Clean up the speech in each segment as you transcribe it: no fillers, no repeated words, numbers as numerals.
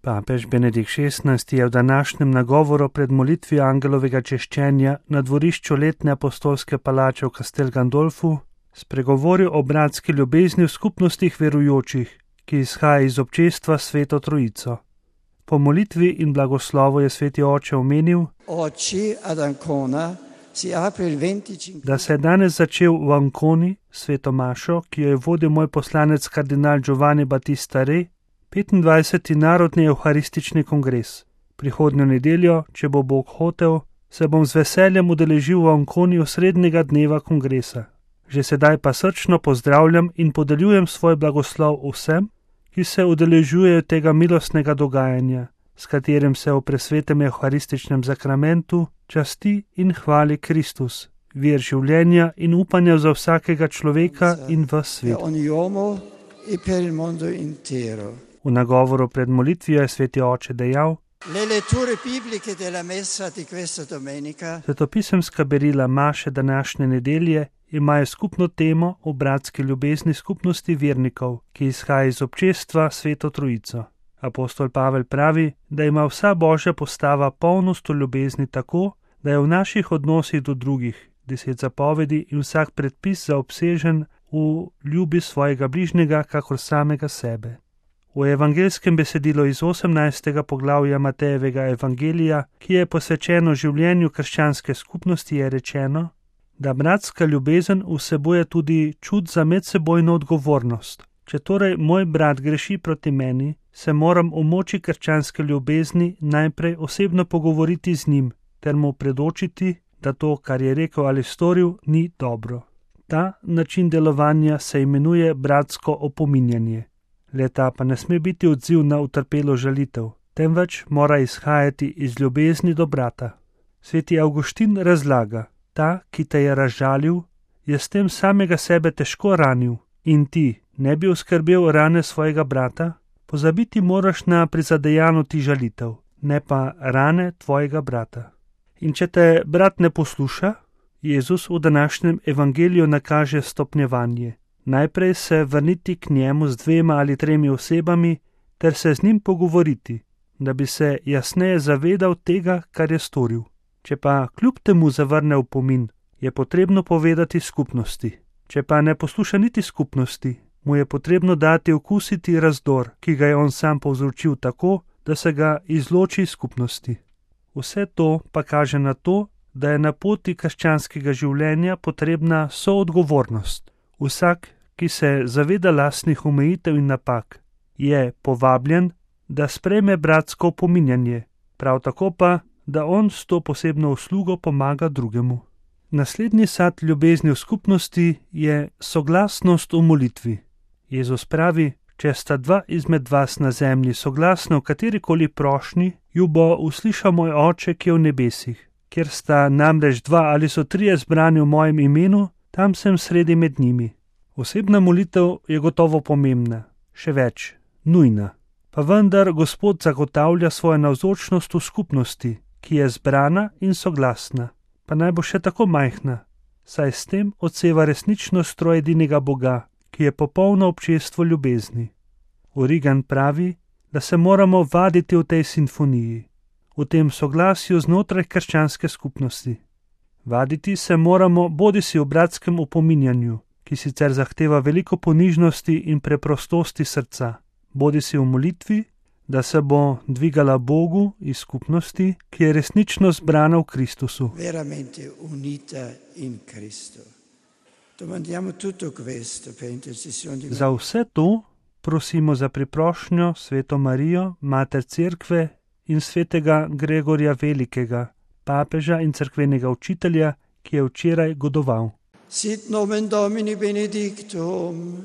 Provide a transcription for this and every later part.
Papež Benedikt XVI je v današnjem nagovoru pred molitvijo angelovega češčenja na dvorišču letne apostolske palače v Castel Gandolfu spregovoril o bratski ljubezni v skupnostih verujočih, ki izhaja iz občestva s Sveto Trojico. Po molitvi in blagoslovu je sveti oče omenil, da se je danes začel v Anconi sveto mašo, ki jo je vodil moj poslanec kardinal Giovanni Battista Re, 25. narodni evharistični kongres. Prihodnjo nedeljo, če bo Bog hotel, se bom z veseljem udeležil v Anconi osrednjega dneva kongresa. Že sedaj pa srčno pozdravljam in podeljujem svoj blagoslov vsem, ki se udeležujejo tega milostnega dogajanja, s katerim se v presvetem evharističnem zakramentu časti in hvali Kristus, vir življenja in upanja za vsakega človeka in v svet. V nagovoru pred molitvijo je sveti oče dejal, svetopisemska berila maše današnje nedelje imajo skupno temo o bratski ljubezni skupnosti vernikov, ki izhaja iz občestva Sveto Trojico. Apostol Pavel pravi, da ima vsa božja postava polnost v ljubezni tako, da je v naših odnosih do drugih 10 zapovedi in vsak predpis zaobsežen v ljubi svojega bližnjega kakor samega sebe. V evangelskem besedilu iz 18. poglavja Matejevega evangelija, ki je posvečeno življenju krščanske skupnosti, je rečeno, da bratska ljubezen vsebuje tudi čut za medsebojno odgovornost. Če torej moj brat greši proti meni, se moram v moči krščanske ljubezni najprej osebno pogovoriti z njim, ter mu predočiti, da to, kar je rekel ali storil, ni dobro. Ta način delovanja se imenuje bratsko opominjanje. Le-ta pa ne sme biti odziv na utrpelo žalitev, temveč mora izhajati iz ljubezni do brata. Sveti Avguštin razlaga, ta, ki te je razžalil, je s tem samega sebe težko ranil in ti ne bi oskrbel rane svojega brata, pozabiti moraš na prizadejano ti žalitev, ne pa rane tvojega brata. In če te brat ne posluša, Jezus v današnjem evangeliju nakaže stopnjevanje. Najprej se vrniti k njemu z 2 ali 3 osebami ter se z njim pogovoriti, da bi se jasneje zavedal tega, kar je storil. Če pa kljub temu zavrne opomin, je potrebno povedati skupnosti. Če pa ne posluša niti skupnosti, mu je potrebno dati okusiti razdor, ki ga je on sam povzročil tako, da se ga izloči iz skupnosti. Vse to pa kaže na to, da je na poti krščanskega življenja potrebna soodgovornost. Vsak, ki se zaveda lastnih omejitev in napak, je povabljen, da sprejme bratsko opominjanje, prav tako pa, da on s to posebno uslugo pomaga drugemu. Naslednji sad ljubezni v skupnosti je soglasnost v molitvi. Jezus pravi, če sta 2 izmed vas na zemlji soglasna v katerikoli prošnji, ju bo uslišal moj Oče, ki je v nebesih. Kjer sta namreč 2 ali so 3 zbrani v mojem imenu, tam sem sredi med njimi. Osebna molitev je gotovo pomembna, še več, nujna. Pa vendar Gospod zagotavlja svojo navzočnost v skupnosti, ki je zbrana in soglasna, pa naj bo še tako majhna, saj s tem odseva resničnost trojedinega Boga, ki je popolno občestvo ljubezni. Origen pravi, da se moramo vaditi v tej simfoniji, v tem soglasju znotraj krščanske skupnosti. Vaditi se moramo bodisi v bratskem opominjanju, ki sicer zahteva veliko ponižnosti in preprostosti srca, bodisi v molitvi, da se bo dvigala Bogu iz skupnosti, ki je resnično zbrana v Kristusu. Za vse to prosimo za priprošnjo Sveto Marijo, Mater Cerkve in svetega Gregorja Velikega, papeža in cerkvenega učitelja, ki je včeraj godoval. Sit nomen Domini benedictum,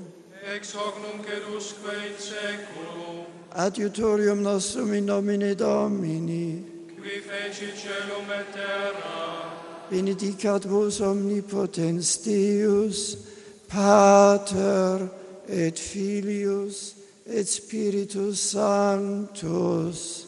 ex hoc nunc et usque in seculum, adiutorium nostrum in nomine Domini, qui feci celum et terra, benedicat vos omnipotens Deus, Pater et Filius et Spiritus Sanctus.